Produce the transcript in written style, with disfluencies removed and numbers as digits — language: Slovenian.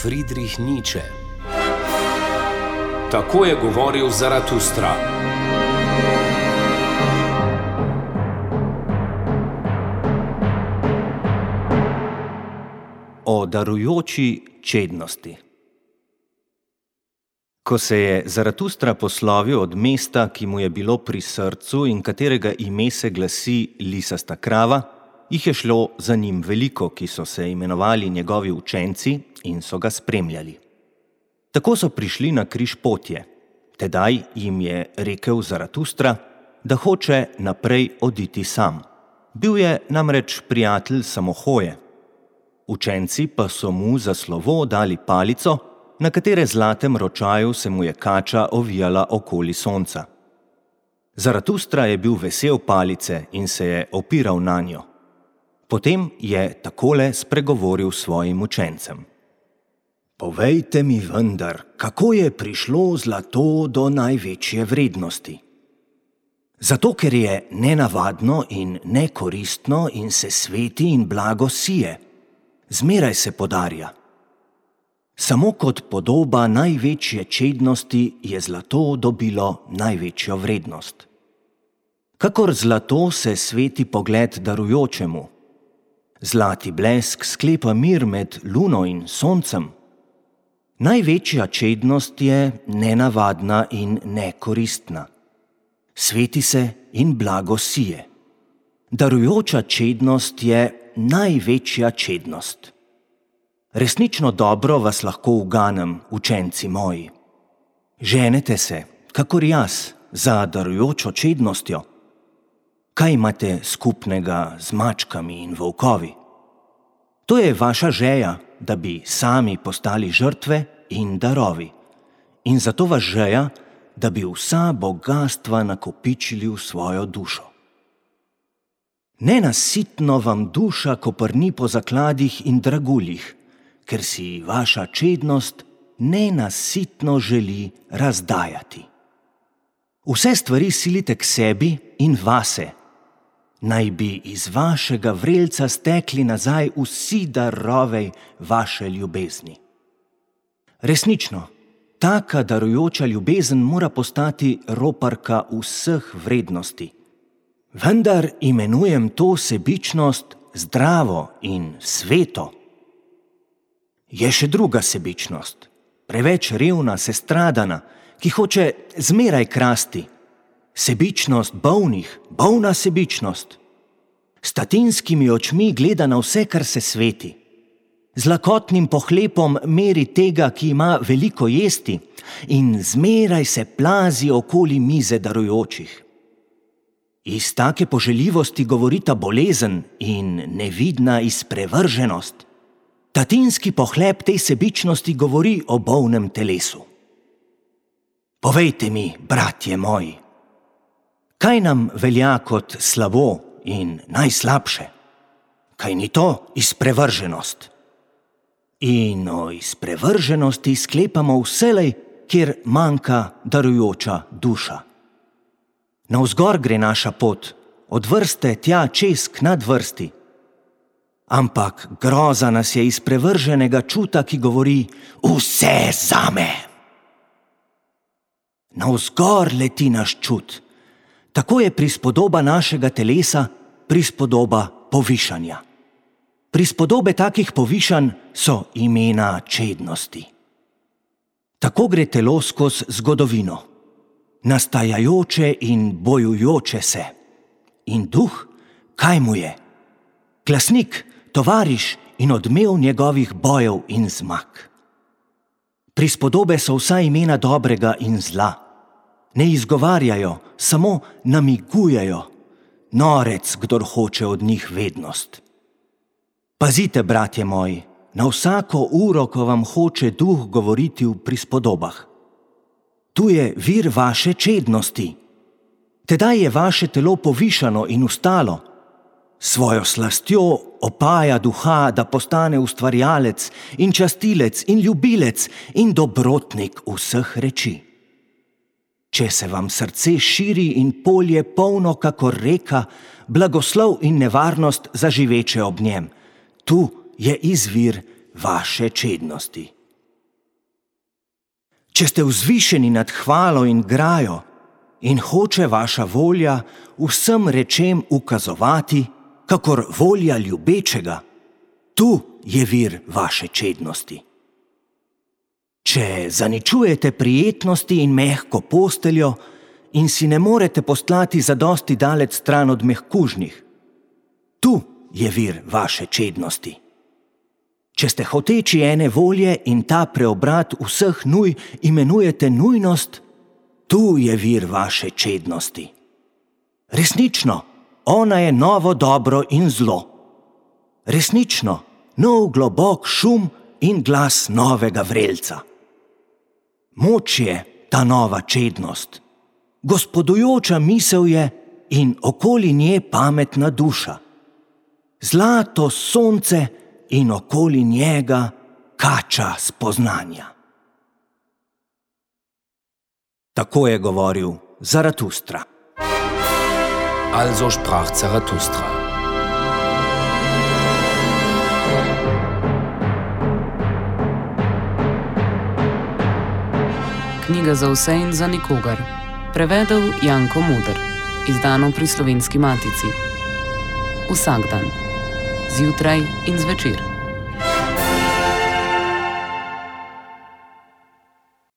Friedrich Nietzsche. Tako je govoril Zaratustra. O darujoči čednosti. Ko se je Zaratustra poslovil od mesta, ki mu je bilo pri srcu in katerega ime se glasi Lisasta krava, jih je šlo za njim veliko, ki so se imenovali njegovi učenci in so ga spremljali. Tako so prišli na križ potje. Tedaj jim je rekel Zaratustra, da hoče naprej oditi sam. Bil je namreč prijatelj samohoje. Učenci pa so mu za slovo dali palico, na katere zlatem ročaju se mu je kača ovijala okoli sonca. Zaratustra je bil vesel palice in se je opiral nanjo. Potem je takole spregovoril svojim učencem. Povejte mi vendar, kako je prišlo zlato do največje vrednosti? Zato, ker je nenavadno in nekoristno in se sveti in blago sije. Zmeraj se podarja. Samo kot podoba največje čednosti je zlato dobilo največjo vrednost. Kakor zlato se sveti pogled darujočemu. Zlati blesk sklepa mir med luno in soncem. Največja čednost je nenavadna in nekoristna. Sveti se in blago sije. Darujoča čednost je največja čednost. Resnično dobro vas lahko uganem, učenci moji. Ženete se, kakor jaz, za darujočo čednostjo. Kaj imate skupnega z mačkami in volkovi? To je vaša žeja, da bi sami postali žrtve in darovi. In zato vas žeja, da bi vsa bogastva nakopičili v svojo dušo. Nenasitno vam duša koprni po zakladih in draguljih, ker si vaša čednost nenasitno želi razdajati. Vse stvari silite k sebi in vase. Naj bi iz vašega vrelca stekli nazaj vsi darovi vaše ljubezni. Resnično, taka darujoča ljubezen mora postati roparka vseh vrednosti. Vendar imenujem to sebičnost zdravo in sveto. Je še druga sebičnost, preveč revna, sestradana, ki hoče zmeraj krasti. Sebičnost bolnih, bolna sebičnost. S tatinskimi očmi gleda na vse, kar se sveti. Z lakotnim pohlepom meri tega, ki ima veliko jesti, in zmeraj se plazi okoli mize darujočih. Iz take poželjivosti govorita bolezen in nevidna izprevrženost. Tatinski pohlep tej sebičnosti govori o bolnem telesu. Povejte mi, bratje moji, kaj nam velja kot slabo in najslabše? Kaj ni to izprevrženost? In o izprevrženosti sklepamo vselej, kjer manjka darujoča duša. Navzgor gre naša pot, od vrste tja čez k nadvrsti. Ampak groza nas je izprevrženega čuta, ki govori vse zame. Navzgor leti naš čut. Tako je prispodoba našega telesa prispodoba povišanja. Prispodobe takih povišanj so imena čednosti. Tako gre telo skozi zgodovino. Nastajajoče in bojujoče se. In duh, kaj mu je? Glasnik, tovariš in odmev njegovih bojev in zmag. Prispodobe so vsa imena dobrega in zla. Ne izgovarjajo, samo namigujejo. Norec, kdor hoče od njih vednost. Pazite, bratje moji, na vsako uro, ko vam hoče duh govoriti v prispodobah. Tu je vir vaše čednosti. Tedaj je vaše telo povišano in ustalo. Svojo slastjo opaja duha, da postane ustvarjalec in častilec in ljubilec in dobrotnik vseh reči. Če se vam srce širi in polje polno kakor reka, blagoslov in nevarnost zaživeče ob njem, tu je izvir vaše čednosti. Če ste vzvišeni nad hvalo in grajo in hoče vaša volja vsem rečem ukazovati, kakor volja ljubečega, tu je vir vaše čednosti. Če zaničujete prijetnosti in mehko posteljo in si ne morete postlati zadosti daleč stran od mehkužnih, tu je vir vaše čednosti. Če ste hoteči ene volje in ta preobrat vseh nuj imenujete nujnost, tu je vir vaše čednosti. Resnično, ona je novo dobro in zlo. Resnično, nov globok šum in glas novega vrelca. Moč je ta nova čednost. Gospodujoča misel je in okoli nje pametna duša. Zlato sonce in okoli njega kača spoznanja. Tako je govoril Zaratustra. Also sprach Zarathustra. Knjiga za vse in za nikogar. Prevedel Janko Muder. Izdano pri Slovenski matici. Vsak dan. Zjutraj in zvečer.